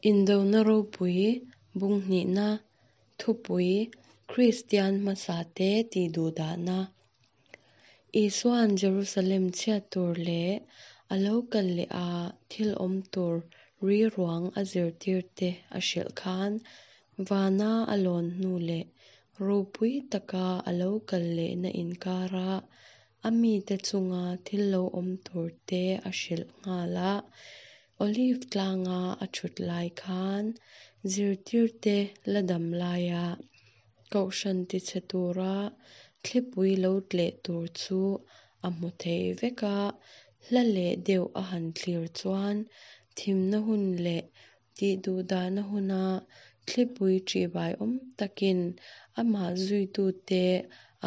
Indona ropui bung hnihna thupui Kristian hmasate tihduhdahna Isua'n Jerusalem chhiat tur leh a lo kal leh a thil awm tur ri ruang a zirtirte a hrilh khan vana a lawn hnu leh ropui taka a lo kal lehna inkara a mite chunga thil lo awm turte a hrilh nghal a. Olive tlanga a thut lai khan zirtirte la dam laia kohhran tichhe tura thlipui lo tleh tur chu a hmu thei vek a, hla leh deuh a han thlir chuan thimna hun leh tihduhdahna huna thlipui ṭihbaiawm takin amah zuitute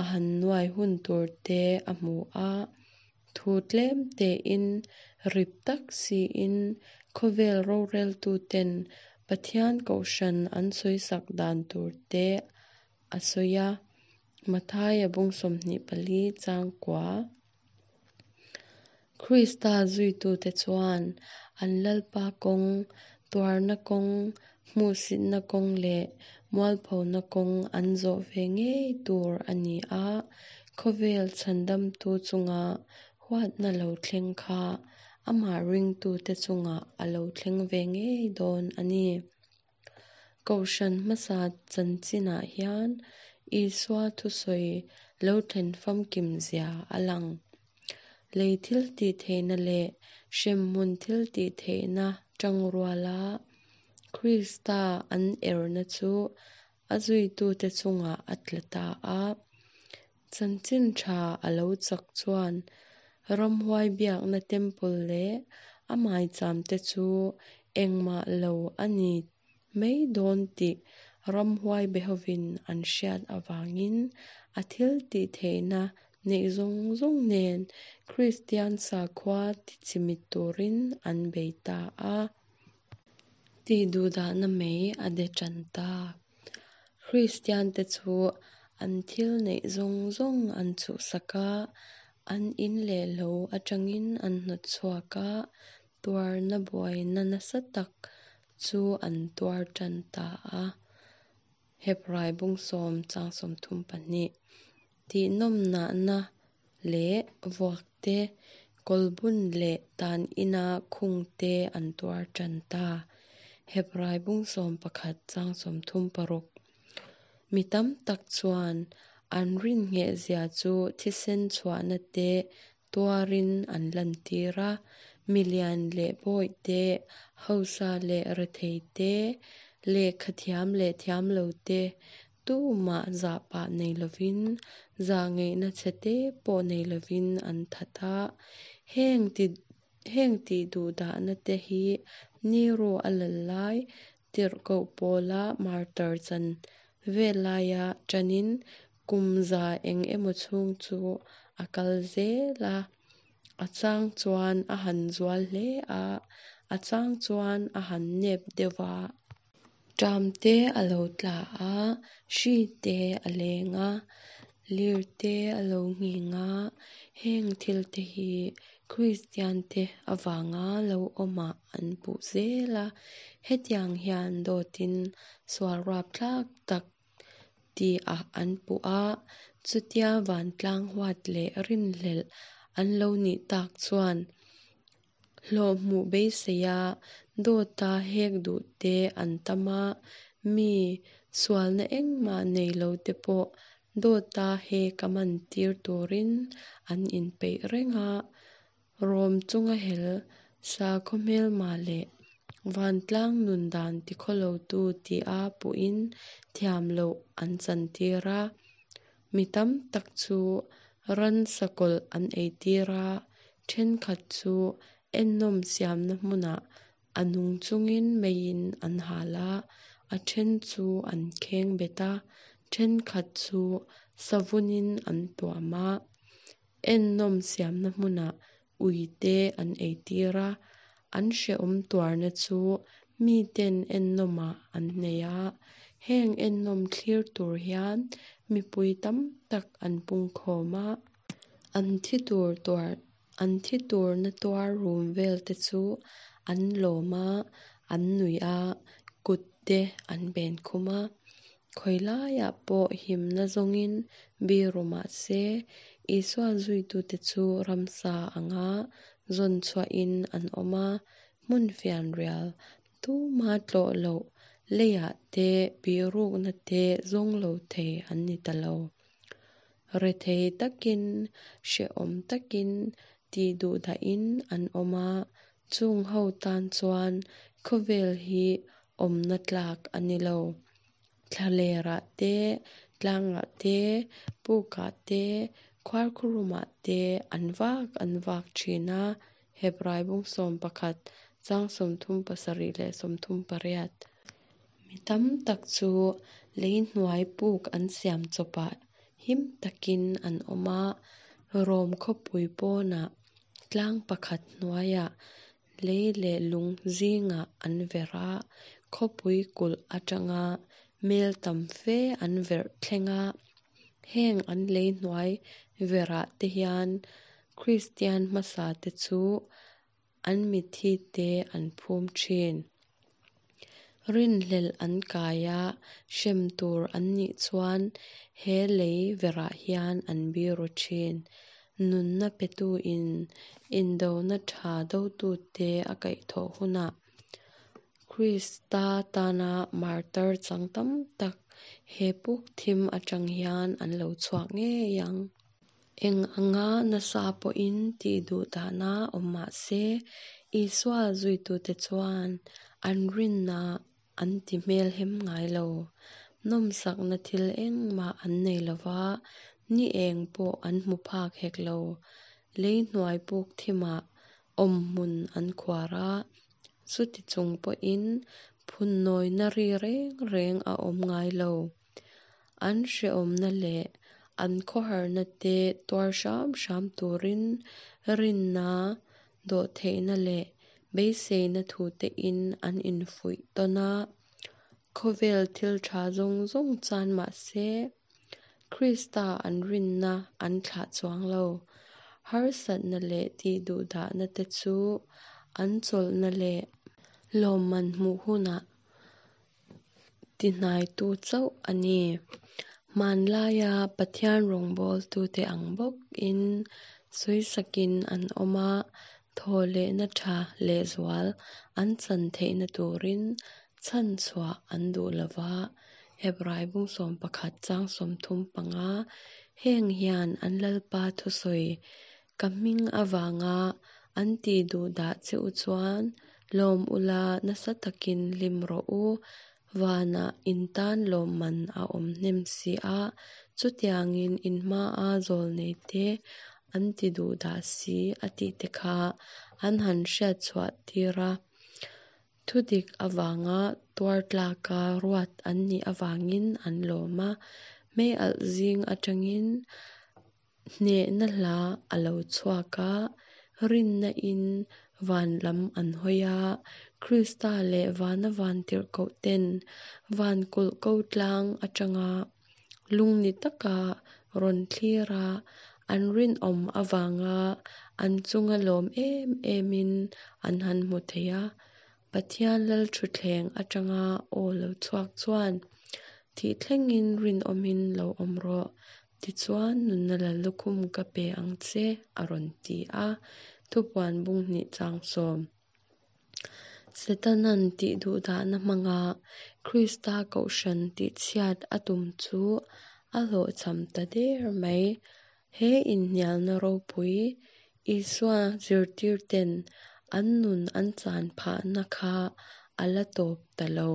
a han nuai hun turte a hmu a. Thu tlem tein, rip tak siin khawvel roreltuten Pathian kohhran an sawisak dan turte a sawi a, Mathaia bung 24 chang kua. Krista zuitute chuan an Lalpa kawng, tuarna kawng, hmuhsitna kawng leh mualphona kawng an zawh ve ngei tur a ni a, khawvel chhandamtu chunga huatna lo thleng kha amah ringtute chungah a lo thleng ve ngei dawn a ni. Kohhran hmasa chanchinah hian Isua thusawi lo thlen famkim zia a lang. Lei thiltihtheihna leh hremhmun thiltihtheihna tangruala Krista an erna chu a zuitute chungah a tla ta a. Chanchin tha a lo chak chuan ramhuai biakna temple leh a maicham te chu engmah lo a ni mai dawn tih ramhuai behovin an hriat avangin a thiltihtheihna neih zawng zawng nen Kristian sakhua tichimit turin an bei ta a. Tihduhdahna mei a de tan ta. Kristiante chu an thil neih zawng zawng an chhuhsak a, an in leh lo atangin an hnawt chhuak a, tuarna buaina nasa tak chu an tuar tan ta a. Hebrai bung sawm chang 32. Tihnawmnahna leh vuak te, kawlbun leh tan ina khung te an tuar tan ta. Hebrai bung 11 chang 36. Mi tam tak chuan an rin nghehzia chu thisen chhuahna te tuarin an lantir a, milian leh bawih te, hausa leh rethei te, lehkha thiam leh thiam lo te, tumah zahpah nei lovin, zahngaihna chhe te pawh nei lovin an that a. Heng ti heng tihduhdahna te hi Nero a lal lai, tirhkoh pawla martyr chan vel laia tanin kum za eng emaw chhung chu a kal zel a. A chang chuan a han zual hle a, a chang chuan a han nep deuh va. Ṭam te a lo tla a, hri te a leng a, lir te a lo nghing a, heng thil te hi Kristiante avanga lo awmah an puh zel a, hetiang hian dawtin sual rapthlak tak tihah an puh a, chutia vantlang huat leh rinhlelh an lo nih tak chuan hlawh hmuh beiseia dawta hek duh te an tam a, mi sualna engmah nei lo te pawh dawta hek a man tir turin an inpeih reng a, Rom chunga hel sakhaw hmelma leh vantlang nun dan tikhawlotu tia puhin thiam loh an chantir a. Mi tam tak chu ransa kawlh an eitir a, thenkhat chu ennawm siamna hmunah a nung chungin meiin an hal a, a then chu an kheng bet a, thenkhat chu savunin an tuam a. Ennawm siamna hmunah uite an eitir a, an hrehawm tuarna chu miten ennawmah an nei a. Heng ennawm thlir tur hian mipui tam tak an pungkhawm a. An thi tur tuar an thi tur na tuar rum vel te chu an lawm a. An nuih a, kut te an ben khum a. Khawi laiah pawh himna zawngin biru mah se, Isua zuitute chu ramsa anga zawn chhuahin an awm a, hmun fianrial, tuma tlawh loh leiah te bihrukna te zawng lo thei an ni ta lo. Rethei takin, hrehawm takin, tihduhdahin an awm a, chung ho tan chuan khawvel hi awmna tlak a ni lo. Thlalerah te, tlangah te, pukah te, khuarkhurumah te an vak an vak thin a, Hebrai bung 11, chang 37 leh 38. Mi tam tak chu lei hnuai puk an siam chawpah him takin an awm a, Rom khawpui pawnah tlang pakhat hnuaiah lei leh lung zingah an verh a, khawpui kulh atanga mel tam fe an verh thleng a. Heng an lei hnuai verhah te hian Kristian hmasate chu an mitthite an phum thin. Rinhlelh an kai a, hrem tur an nih chuan he lei verhah hian an biru thin. Nunna petuin indona tha dotute a kaihthawh hunah Krista tana martar chang tam tak he puk thim atang hian an lo chhuak ngei ang. Eng anga nasa pawhin tih duhdahna awm mah se, Isua zuitute chuan an rinna an ti hmelhem ngai lo. Nawmsakna thil engmah an nei lo va, ni eng pawh an hmu phak hek lo. Lei hnuai puk thimah awmhmun an khuar a, chuti chung pawhin phunnawina ri reng reng a awm ngai lo. An hrehawmna leh an khawharna te tuar hram hram turin rinna, dawhtheihna leh beiseina thutein an infuih tawn a. Khawvel thil tha zawng zawng chan mah se, Krista an rinna an thlah chuang lo. Harsatna leh tihduhdahna te chu an chawlhna leh lawmman hmuh hunah tihnaitu chauh a ni. Hmanlaia Pathian rawngbawltute ang bawkin sawisakin an awm a, thawhlehna tha lehzual an chan theihna turin chhanchhuah an duh lo va, Hebrai bung 11 chang 35, Heng hian an Lalpa thusawi, Ka hming avanga an tihduhdah che u chuan lawm ula nasa takin hlim rawh u, vanah in tan lawmman a awm hnem si a, chutiangin in hmaa zawlneite an tiduhdah si a tihte kha an han hriatchhuah tir a. Thudik avanga tuar tlaka ruat an nih avangin an lawm a, meialh zing atangin Hnehna hla a lo chhuak a, rinna in van lam an hawi a, Krista leh vana vantirhkoh ten van kulh ko tlang atanga lungni taka rawn thlir a, an rinawm avanga an chunga lawm em emin an han hmu thei a. Pathian Lalthutthleng atanga aw lo chhuak chuan, Thih thlengin rinawmin lo awm rawh, Tichuan, nunna lal lukhum ka pe ang che, a rawn ti a. Thupuan bung hnih chang 10. Setanan tih duhdahna hmanga Krista kohhran tihchhiat a tum chu a hlawhchham ta der mai. He inhnialna ropui, Isua zirtirten an nun an chan phahna kha a la tawp ta lo.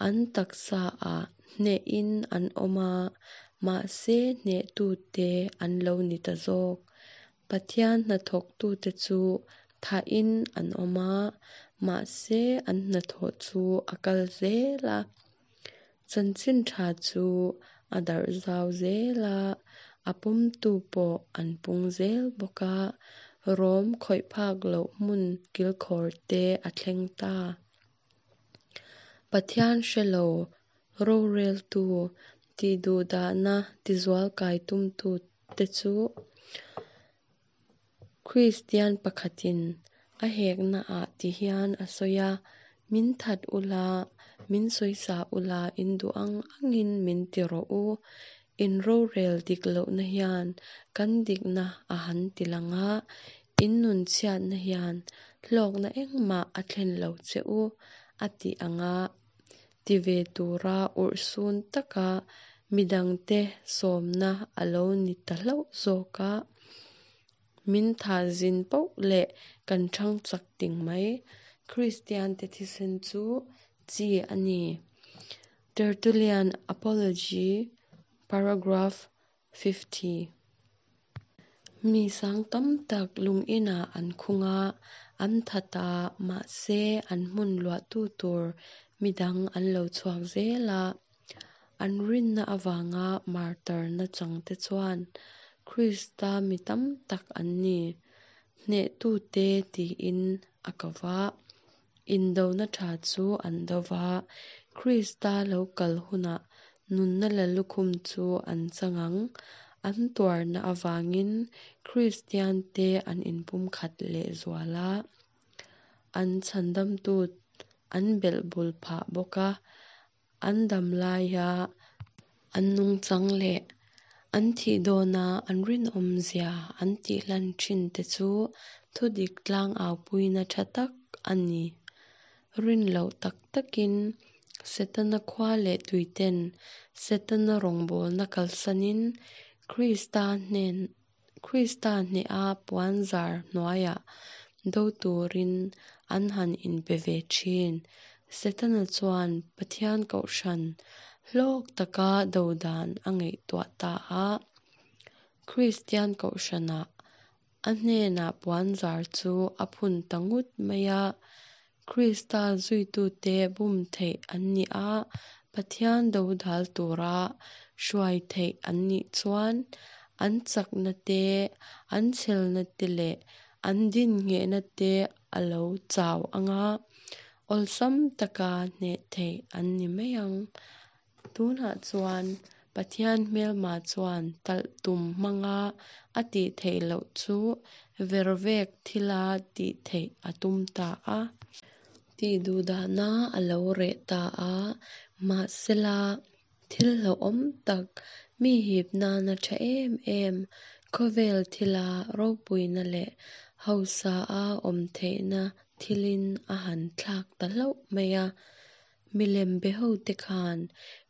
An taksaah hnehin an awm a, mahse hnehtute an lo ni ta zawk. Pathian hnathawktute chu thahin an awm a, mahse an hnathawh chu a kal zel a. Chanchin tha chu a darh zau zel a, a pawmtu pawh an pung zel bawk a, Rom khawih phak loh hmun kilkhawr te a thleng ta. Pathian hre lo roreltu tihduhdahna tizualkai tumtute chu Kristian pakhatin a heknaah ti hian a sawi a, Min that ula, min sawisa ula, in duh ang angin min ti rawh u. In rorel dik lohna hian kan dikna a han ti lang a, in nun chhiatna hian hlawkna engmah a thlen lo che u, a tih anga ti ve tura urhsun taka midangte sawmna a lo ni ta hlauh zawk a. Min thah zin poh leh kan ṭhang chak ting mai. Kristiante thisen chu chi a ni. Tertullian Apology, paragraph 50. Mi sang tam tak lung inah an khung a, an that a, mahse an hmun luahtu tur midang an lo chhuak zel a. An rinna avanga martar nachangte chuan Krista mi tam tak an ni, hnehtute tiin a ko va. Indona tha chu an do va, Krista lo kal hunah nunna lallukhum chu an chang ang. An tuarna avangin Kristiante an inpumkhat lehzual a, an chhandamtu an belhbul phah bawk a. An dam laia an nungchang leh an thih dawna an rinawmzia an tihlan thin te chu thudik tlangaupuina tha tak a ni. Rin loh tak takin Setana khua leh tuiten Setana rawngbawlna kalsanin Krista hnen Krista hneha puanzar hnuaiah do turin an han inpe ve thin. Setana chuan Pathian kohhran hlawk taka do dan a ngaihtuah ta a. Kristian kohhranah a hnenah puanzar chu a phun ta ngut mai a. Krista zuitute bum theih an nih a, Pathian dodal tura hruai theih an nih chuan an chakna te, an chhelna te leh an dinnghehna te a lo chau ang a, awlsam taka hneh theih an ni mai ang. Tunah chuan Pathian hmelma chuan talh tum hmanga a tih theih loh chu vervek thila tih theih a tum ta a. Tih duhdahna a lo reh ta a, mahsela thil hlauhawm tak, mi hip nana tha em em, khawvel thila ropuina leh hausa a awm theihna thilin a han thlak ta hlauh mai a. Milem be hote khan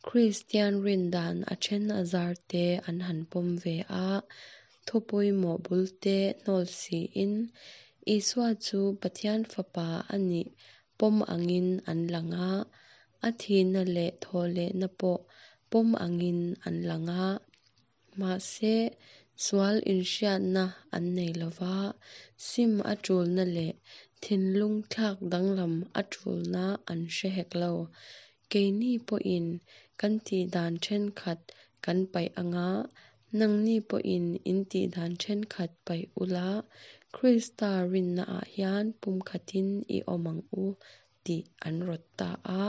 Kristian rindan a then a zar te an han pawm ve a, thu pawimawh bulte hnawl siin Isua chu Pathian Fapa a nih pawm angin an lang a, a thihna leh thawhlehna pawh pawm angin an lang a. Mahse, sual inhriatna an nei lo va, sim a tulna leh thinlung thlak danglam a tulna an hre hek lo. Keini pawhin kan tihdan thenkhat kan paih ang a, nangni pawhin in tihdan thenkhat paih ula, Krista rinnaah hian pumkhatin i awm ang u tih an rawt ta a.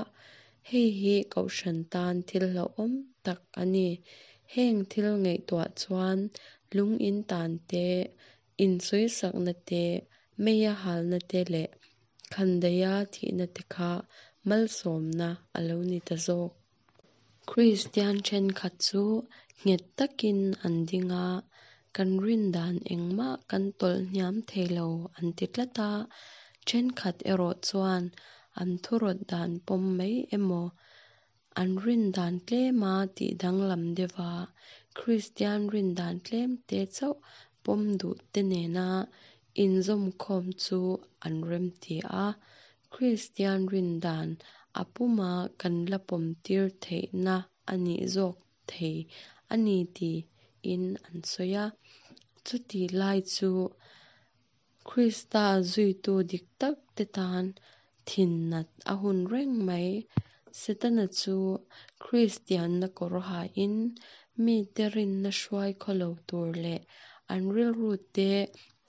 Hei hi kohhran tan thil hlauhawm tak a ni. Heng thil ngaihtuah chuan lung in tan te, insawisakna te, meia halna te leh khandaiha thihna te kha malsawmna a lo ni ta zawk. Kristian thenkhat chu nghet takin an ding a, kan rin dan engmah kan tawlh hniam thei lo an ti tlat a, thenkhat erawh chuan an thurawt dan pawm mai emaw, an rin dan tlema tih danglam deuha Kristian rin dan tlemte chauh pawm duh te nena inzawmkhawm chu an remti a, Kristian rin dan a puma kan la pawmtir theihna a nih zawk thei a ni tiin an sawi a. Chutih lai chu Krista zuitu dik tak te tan thin nat a hun reng mai. Setana chu Kristianna kawr hain mite rinna hruai khawlo tur leh an rilru te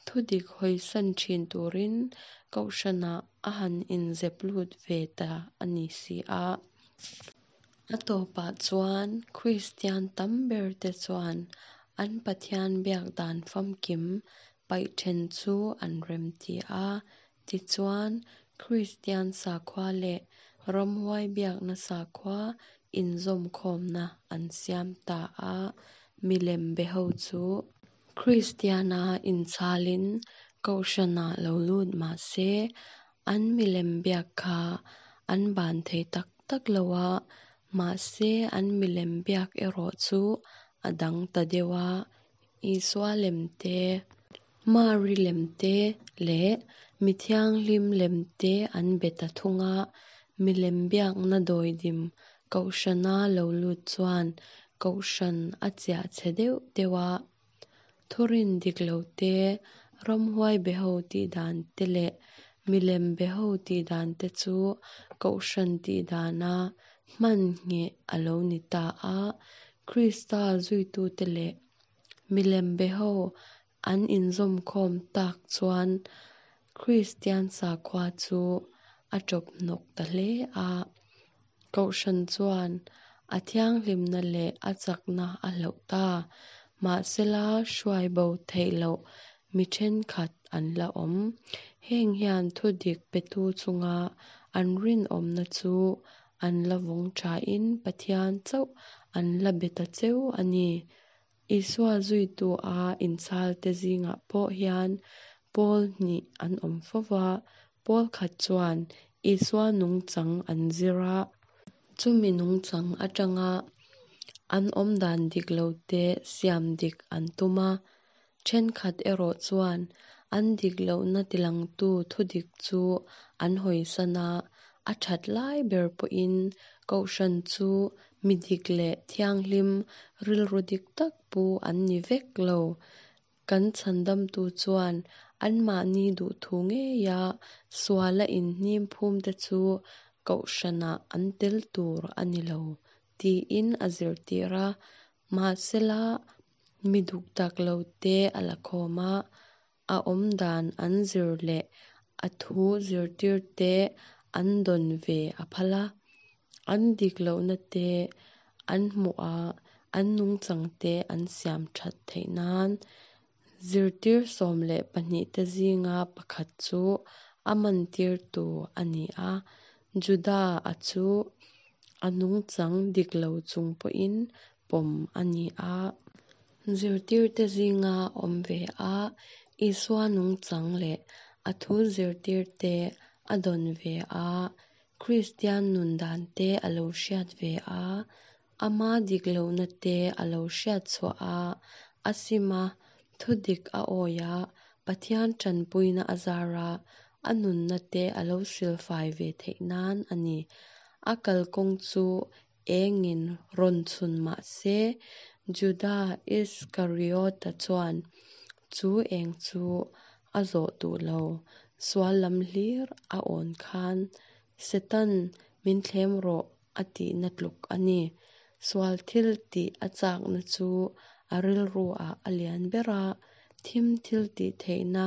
thudik hawisan thin turin kohhranah a han inzep lut ve ta a ni si a. A tawpah chuan Kristian tam berte chuan an Pathian biak dan famkim paih then chu an remti a. Tichuan, Kristian sakhua leh ramhuai biakna sakhua inzawmkhawmna an siam ta a. Milem beho chu Kristiana inchhalin Kohhranah lo lut mah se, an milem biak kha an ban thei tak tak lo a, mahse an milem biak erawh chu a dang ta deuh a, Isua lem te, Mari lem te leh mi thianghlim lem te an be ta thung a, milem biakna dawidim Kohhrana lo lut chuan Kohhran a chiah chhe deuh deuh a. Thurin dik lo te, ramhuai beho tih dan te leh milem beho tih dan te chu Kohhran tih dana hman ngheh a lo ni ta a. Krista zuitute leh milem beho an inzawmkhawm tak chuan Kristian sakhua chu a ṭawp hnawk ta hle a. Kohhran chuan a thianghlimna leh a chakna a hloh ta. Mahsela hruai bo theih loh mi thenkhat an la awm. Heng hian thudik petu chunga an rinawmna chu an la vawng thain Pathian chauh an la be ta cheu a ni. Isua zuitu a inchhalte zingah pawh hian pawl hnih an awm fo va, pawl khat chuan Isua nungchang an zir a, chumi nungchang atanga an awmdan dik lote siam dik an tum a, thenkhat erawh chuan an dik lohna tilangtu thudik chu an hawisan a, a that lai ber pawhin Kohhran chu mi dik leh thianghlim rilru dik tak pu an ni vek lo. Kan chhandamtu chuan anmahni duhthu ngeia suala inhnim phumte chu Kohhranah an tel tur a ni lo tiin a zirtir a. Mahsela, mi dukdak lote a la khawm a, a awmdan an zir leh a thu zirtirte an dawn ve a phal a. An dik lohna te an hmuh a, an nungchang te an siam that theih nan zirtir 12 te zinga pakhat chu a mantirtu a ni a. Juda-a chu a nungchang dik lo chung pawhin pawm a ni a. Zirtirte zinga awm ve a, Isua nungchang leh a thu zirtirte a dawn ve a, Kristian nun dante a lo hriat ve a, ama dik lohna te a lo hriat chhuah a, a sim a, thudik a awi a, Pathian tanpuina a zar a, a nunna te a lo silfai ve theih nan a ni. A kalkawng chu engin rawn chhun mah se, Juda Iskariota chuan chu eng chu a zawh duh lo. Sual lam hlir a awn khan Setan min thlem rawh a tihna tluk a ni. Sual thil tih a chakna chu a rilruah a lian ber a, thim thil tih theihna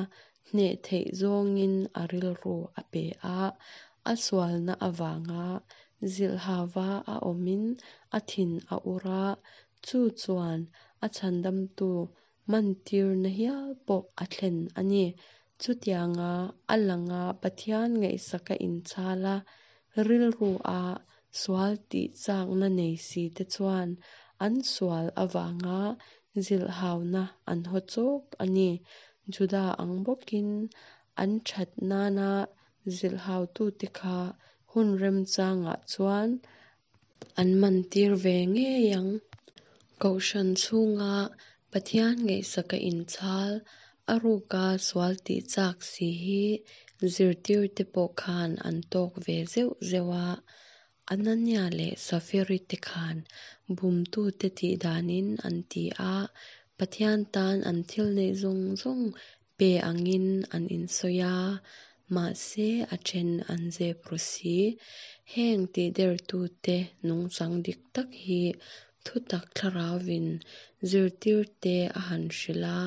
hneh theih zawngin a rilru a pe a, a sualna avanga zilhhava a awmin a thin a ur a, chu chuan a chhandamtu mantirna hial pawh a thlen a ni. Chutianga a langa Pathian ngaihsaka inchhal a, rilrua sual tih chakna nei si te chuan an sual avanga zilhhauna an haw chawk a ni. Juda ang bawkin an that nana zilhhautute kha hun remchangah chuan an mantir ve ngei ang. Kohhran chhunga Pathian ngaihsaka inchhal, a ruka sual tih chak si hi zirtirte pawh khan an tawk ve zeuh zeuh a. Anania leh Safiri te khan bumtute tih danin an ti a, Pathian tan an thil neih zawng zawng pe angin an insawi a, mahse a then an zep ru si. Heng tihdertute nungchang dik tak hi thutak thlarauvin zirtirte a han hrilh a,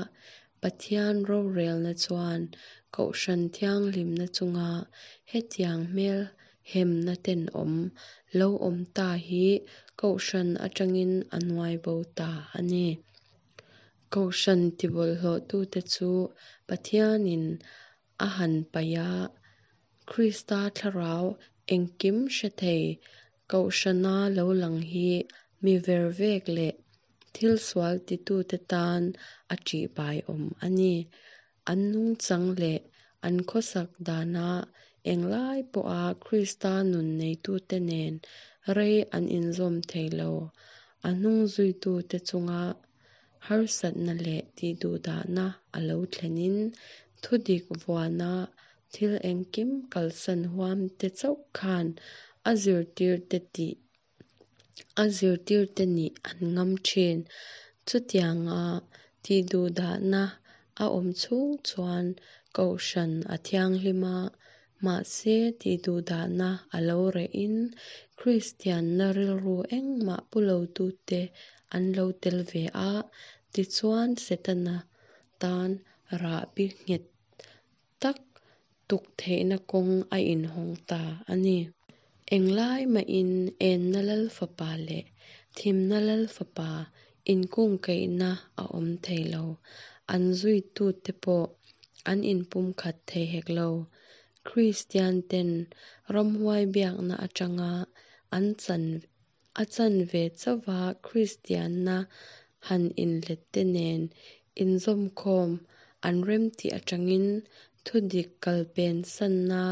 Pathian rorelna chuan Kohhran thianghlimna chunga hetiang hmel hemna tenawm lo awm ta hi Kohhran atangin a nuai bo ta a ni. Kohhran tibawlhhlawhtute chu Pathianin a han paih a, Krista thlarau engkim hre thei Kohhrana lo lang hi mi vervek leh thil sual titute tan a ṭihbaiawm a ni. An nungchang leh an khawsak dana englai pawha Krista nun neitute nen rei an inzawm thei lo. A hnungzuitute chunga harsatna leh tihduhdahna a lo thlenin thudik vuana thil engkim kalsan huamte chauh khan a zirtirte tih a zirtirte nih an ngam thin. Chutianga tihduhdahna a awm chhung chuan Kohhran a thianghlim a, mahse tihduhdahna a lo rehin Kristianna rilru engmah pu lotute an lo tel ve a, tichuan Setana tan rahbi nghet tak tuk theihna kawng a inhawng ta a ni. Englai mahin Enna Lal Fapa leh Thimna Lal Fapa inkungkaihna a awm thei lo. An zuitute pawh an inpumkhat thei hek lo. Kristianten ramhuai biakna atanga an chan a chanve chauhva Kristianna han inlette nen inzawmkhawm an remtih atangin thudik kalpensanna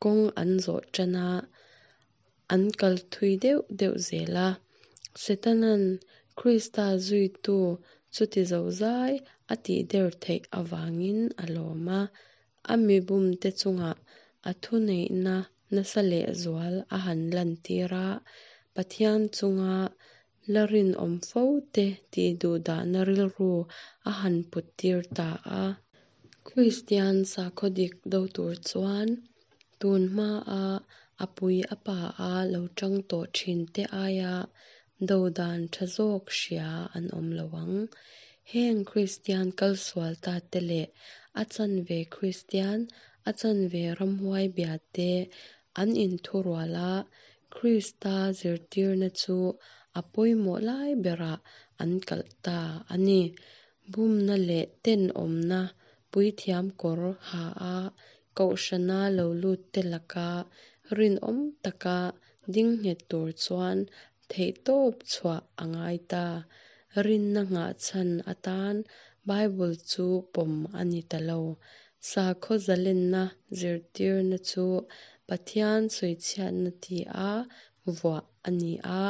kawng an zawh tan a, an kal thui deuh deuh zel a. Setana'n Krista zuitu chuti zozai a tihder theih avangin a lawm a, a mi bumte chungah a thuneihna nasa lehzual a han lantir a, Pathian chunga la rinawm fo te tihduhdahna rilru a han puttir ta a. Kristian sakhaw dik do tur chuan tun hmaa a pui a pa a lo tang tawh thin te aia do dan tha zawk hria an awm lo ang. Heng Kristian kalsual ta te leh a chanve Kristian, a chanve ramhuai bia te an inthurual a, Krista zirtirna chu a pawimawh lai berah an kalh ta a ni. Bumna leh tenawmna puithiam kawr ha a Kohhrana lo lutte laka rinawm taka ding nghet tur chuan theihtawp chhuah a ngai ta. Rinna nghahchhan atan Bible chu pawm a ni ta lo. Sakhaw zalenna zirtirna chu Pathian sawichhiatna tia vuah a ni a,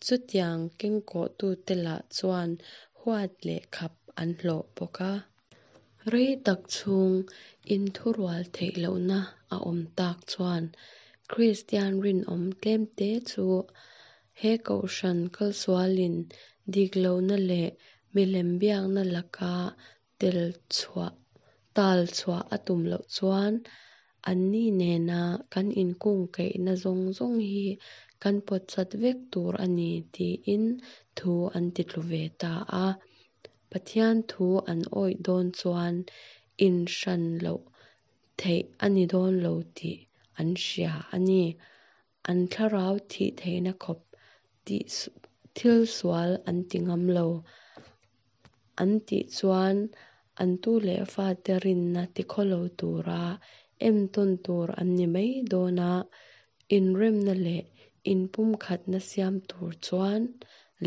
chutiang kengkawhtute lah chuan huat leh khap an hlawh bawk a. Rei tak chhung inthurual theih lohna a awm tak chuan Kristian rinawm tlemte chu he Kohhran kalsualin dik lohna leh milem biakna laka tel chhuah tal chhuah a tum loh chuan anni nena kan inkungkaihna zawng zawng hi kan pawtchat vek tur a ni tiin thu an titlu ve ta a. Pathian thu an awih dawn chuan inhran loh theih a ni dawn lo tih an hria a ni. An thlarau thih theihna khawp tih thil sual an ti ngam lo. An tih chuan an tu leh fate rinna tikhawlo tura entawn tur an ni mai dawn a, inremna leh inpumkhatna siam tur chuan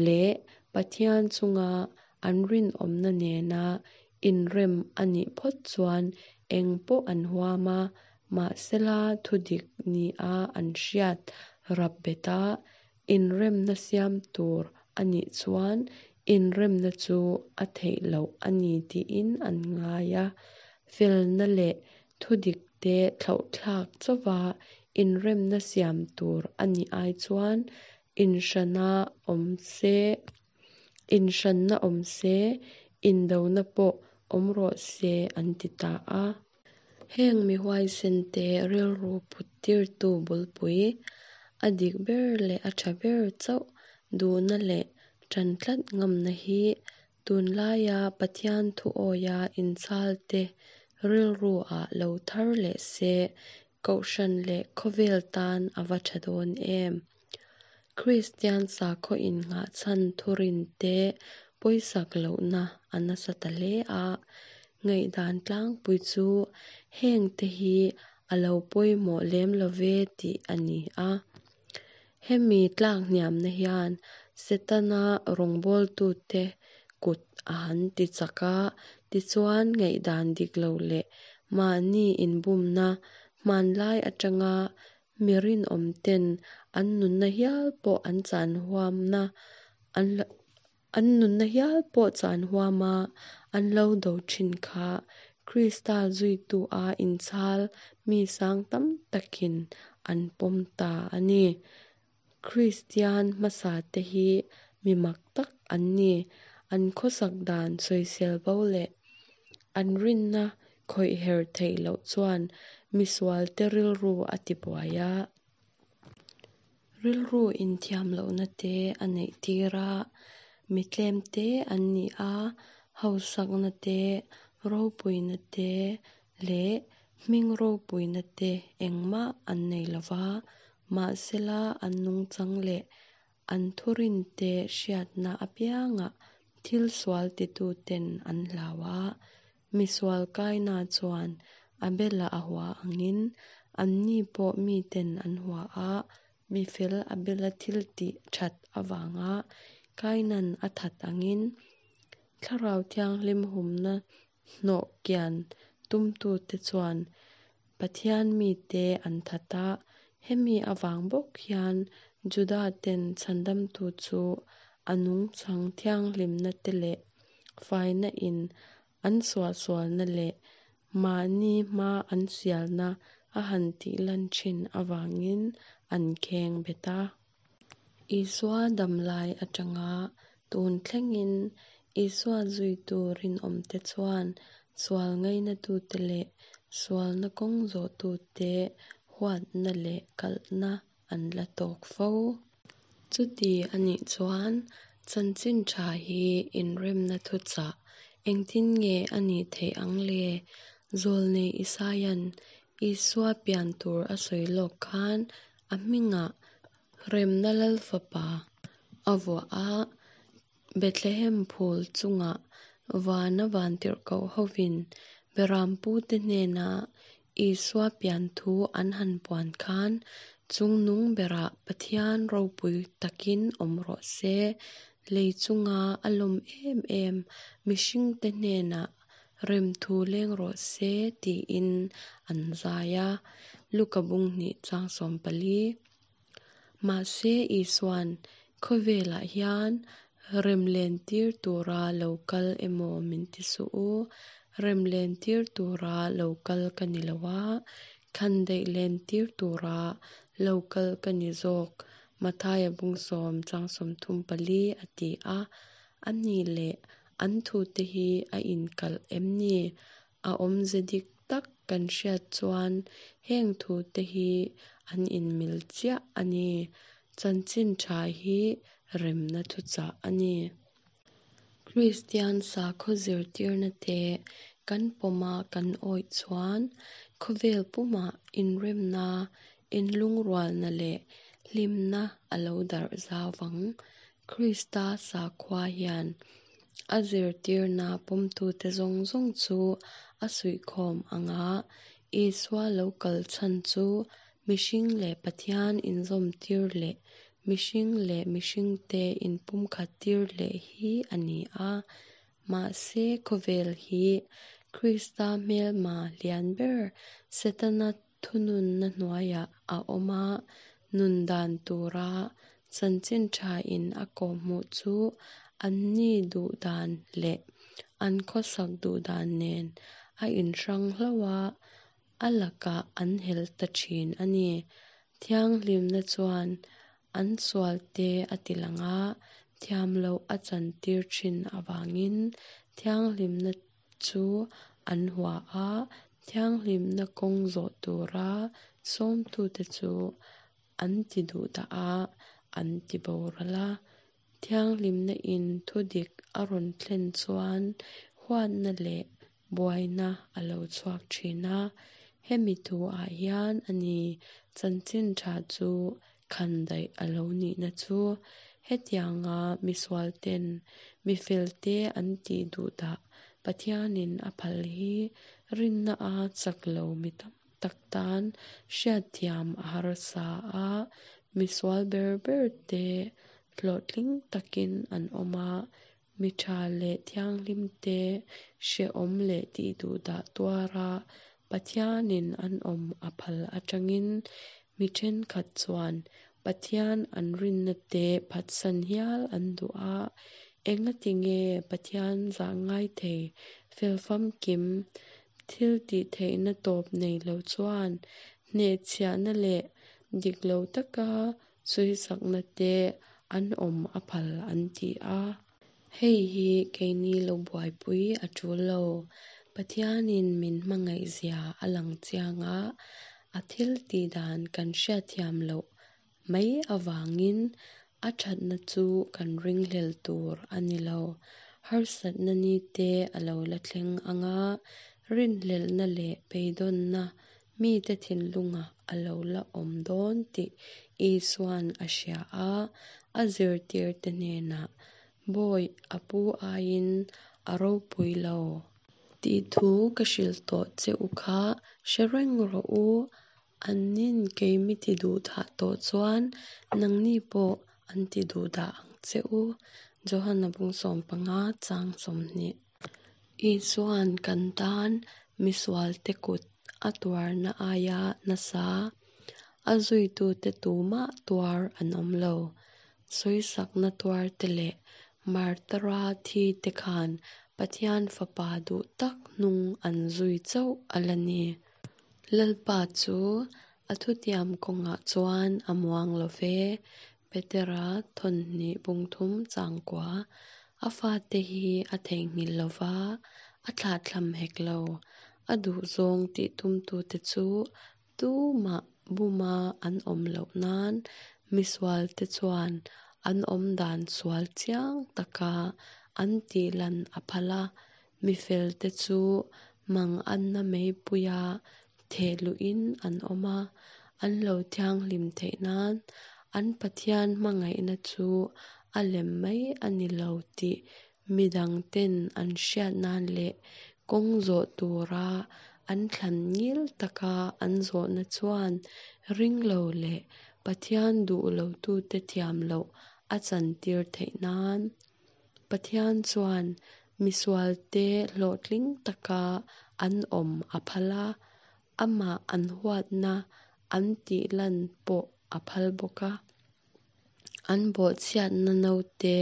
leh Pathian chunga an rinawmna nena inrem a nih phawt chuan engpawh an huam a, mahsela thudik nia an hriat rap bet a, inremna siam tur a nih chuan inremna chu a theih loh a ni tiin an ngai a. Felna leh thudik te thlauhthlak chauva inremna siam tur a nih ai chuan inhrana awm se, inhranna awm se, indona pawh awm rawh se an ti ta a. Heng mi huaisente rilru put tirtu bulpui, a dik ber leh a tha ber chauh duhna leh tan tlat ngamna hi tunlaia Pathian thu awia inchhalte rilru-ah lo thar leh se, Kohhran leh khawvel tan a va tha dawn em! Kristian sakhaw innghahchhan thurinte pawisak lohna a nasa ta hle a, ngaihdan tlangpui chu hengte hi a lo pawimawh lem love tih a ni a. Hemi tlakhniamna hian Setana rawngbawltute kut a han tichak a, tichuan ngaihdan dik lo leh mahni inbumna hmanlai atanga mi rinawmten an nunna hial pawh an chan huamna an an nunna hial pawh chan huama an lo do thin kha Krista zuitu-a inchhal mi sang tam takin an pawm ta a ni. Kristian hmasate hi mi mak tak an ni. An khawsak dan sawisel bo leh an rinna khawih her theih loh chuan misualte rilru a tibuai a. Rilru inthiam lohna te a neih tir a. Mi tlem te an ni a, hausakna te, ropuina te leh hming ropuina te engmah an nei lo va, mahsela an nungchang leh an thurinte hriatna apiangah thil sual tituten an hlau a. Misual Kaina chuan Abela a hua angin anni pawh miten an hua a, mifel Abela thil tih that avanga Kainan a that angin Thlarau Thianghlim humna hnawh kian tumtute chuan Pathian mite an that a, hemi avang bawk hian Juda-ten chhandamtu chu a nungchang thianghlimna te leh faina in an suahsualna leh mahni hma an sialna a han tih lan thin avangin an kheng bet a. Isua damlai atanga tun thlengin Isua zuitu rinawmte chuan sual ngainatute leh sualna kawng zawhtute huatna leh kalhna an la tawk fo. Chuti a nih chuan Chanchin Tha hi inremna thuchah engtin nge a nih theih ang le? Zawlnei Isaia'n Isua pian tur a sawi lawk khan a hmingah Remna Lalfapa a vuah a, Bethlehem phul chungah vana vantirhkoh hovin Berampute hnena Isua pian thu an han puan khan chungnung berah Pathian ropui takin awm rawh se, lei chunga a lawm em em mihringte hnenah remthu leng rawh se tiin an zai a, Luka bung hnih chang 14. Mahse Isua'n khawvelah hian rem lentir tura lo kal emaw min ti suh u, rem lentir tura lo kal ka ni lo a, khandaih lentir tura lo kal ka ni zawk, Mathaia bung sawm chang 34 a ti a. A nih leh an thute hi a inkalh em ni? A awmze dik tak kan hriat chuan heng thute hi an inmil chiah a ni. Chanchin tha hi remna thuchah a ni. Kristian sakhaw zirtirna te kan pawma kan awih chuan khawvel pumah inremna, inlungrualna leh hlimna a lo darh zau vang. Krista sakhua hian a zirtirna pawmtute zawng zawng chu a suihkhawm ang a, Isua lo kal chhan chu mihring leh Pathian inzawmtir leh mihring leh mihringte inpumkhattir leh hi a ni a. Mahse khawvel hi Krista hmelma lian ber Setana thununna hnuaiah a awm a, nun dan tura chanchin thain a kawhhmuh chu anni duh dan leh an khawsak duh dan nen a inhrang hlauh a, a lakah an hel ta thin a ni. Thianghlimna chuan an sualte a tilang a, thiam loh a chantir thin avangin thianghlimna chu an hua a, thianghlimna kawng zawh tura sawmtute chu an ti duhdah a, an ti boral a. Thianghlimna in thudik a rawn thlen chuan huatna leh buaina a lo chhuak thin a, hemi thu-ah hian a ni chanchin tha chu khandaih a lo nihna chu. Hetianga misualten mifelte an tih duhdah Pathianin a phal hi rinna a chak lo mi tam. tak tan hriatthiam a harsa a. Misual ber berte hlawhtling takin an awm a, mi tha leh thianghlimte hrehawm leh tihduhdah tuara Pathianin an awm a phal atangin mi thenkhat chuan Pathian an rinna te phatsan hial an duh a. Engati nge Pathian zahngai thei, fel famkim, thil tihtheihna tawp nei lo chuan hnehchhiahna leh dik lo taka sawisakna te an awm a phal an ti a. Hei hi keini lo buaipui a tul lo. Pathianin min hmangaihzia a lang chiang a, a thil tih dan kan hriatthiam loh mai avangin a thatna chu kan ringhlel tur a ni lo. Harsatna ni te a lo la thleng ang a, rinhlelhna leh beidawnna mite thinlungah a lo la awm dawn tih Isua'n a hria a, a zirtirte hnenah, Bawi, a pu aiin a ropui lo. Tih thu ka hrilh tawh che u kha hre reng rawh u. Annin kei mi ti duhdah tawh chuan nangni pawh an ti duhdah ang che u. Johana bung 15 chang 20. Isua'n kan tan misualte kut a tuarna aia nasa a zuitute tumah tuar an awm lo. Sawisakna tuarte leh martara thite khan Pathian Fapa duh tak hnung an zui chauh a la ni. Lalpa chu a thutiam kawngah chuan a muang lo ve. Petera thawnhnih bung thum changkua, A fate hi a theihnghilh lo va, a thlahthlam hek lo. A duhzawng tih tumtute chu tumah buma an awm loh nan misualte chuan an awmdan sual chiang taka an tihlan a phal a, mifelte chu manganna meipuia theh luhin an awm a, an lo thianghlim theih nan an Pathian hmangaihna chu a lem mai a ni lo tih midangten an hriat nan leh kawng zawh tura an thlan ngil taka an zawhna chuan ringlo leh Pathian duh lotute thiam loh a chantir theih nan. Pathian chuan misualte hlawhtling taka an awm a phal a, amah an huatna an tihlan pawh a phal bawk a. An bawhchhiatna naute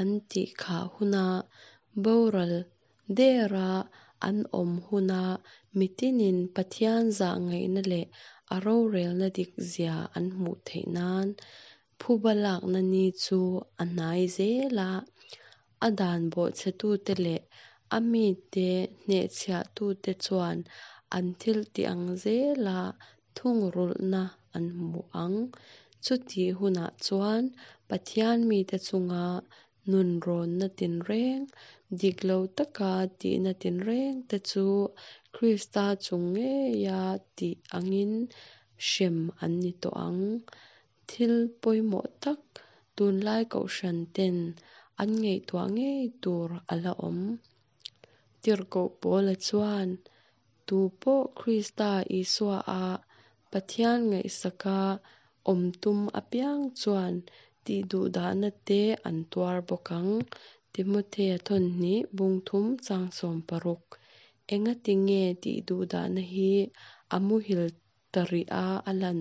an tihkhah huna boral dera an awm huna mitinin Pathian zahngaihna leh a rorelna dikzia an hmuh theih nan phuba lakna ni chu a hnai zel a. A dan bawhchhetute leh a mite hnehchhiahtute chuan an thiltih ang zela thungrulhna an hmu ang. Chutih hunah chuan Pathian mite chunga nunrawnna tinreng, dik lo taka tihna tinrengte chu Krista chung ngeia tih angin hrem an ni tawh ang. Thil pawimawh tak tunlai kohhran ten an ngaihtuah ngei tur a la awm. Tirhkoh Paula chuan, Tu pawh Krista Isua a Pathian ngaihsaka awm tum apiang chuan tihduhdahna te an tuar bawk ang, Timothea thawnhnih bung thum chang 60. Engati nge tihduhdahna hi a muhil ta rih a a lan?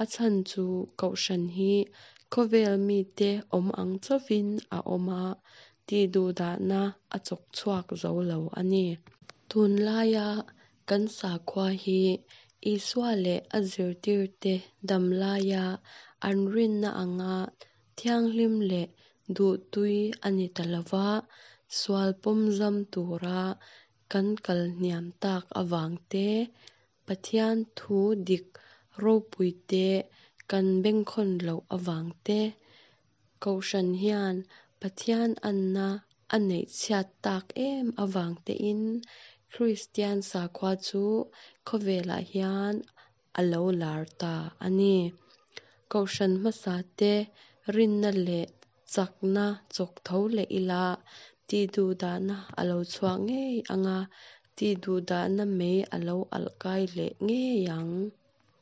A chhan chu Kohhran hi khawvel mite awm ang chauhin a awm a, tihduhdahna a chawk chhuak zo lo a ni. Tunlaia kan sakhua hi Isua leh a zirtirte dam laia an rinna anga thianghlim leh duhtui a ni ta lo va, sual pawmzam tura kan kal hniam tak avang te, Pathian thu dik ropuite kan bengkhawn loh avang te, Kohhran hian Pathian anna a neih chhiat tak em avang tein Kristian sakhua chu khawvelah hian a lo lar ta a ni. Kohhran hmasate rinna leh chakna chawk tho leh ila tihduhdahna a lo chhuak ngei ang a. Tihduhdahna mei a lo alh kai leh ngei ang.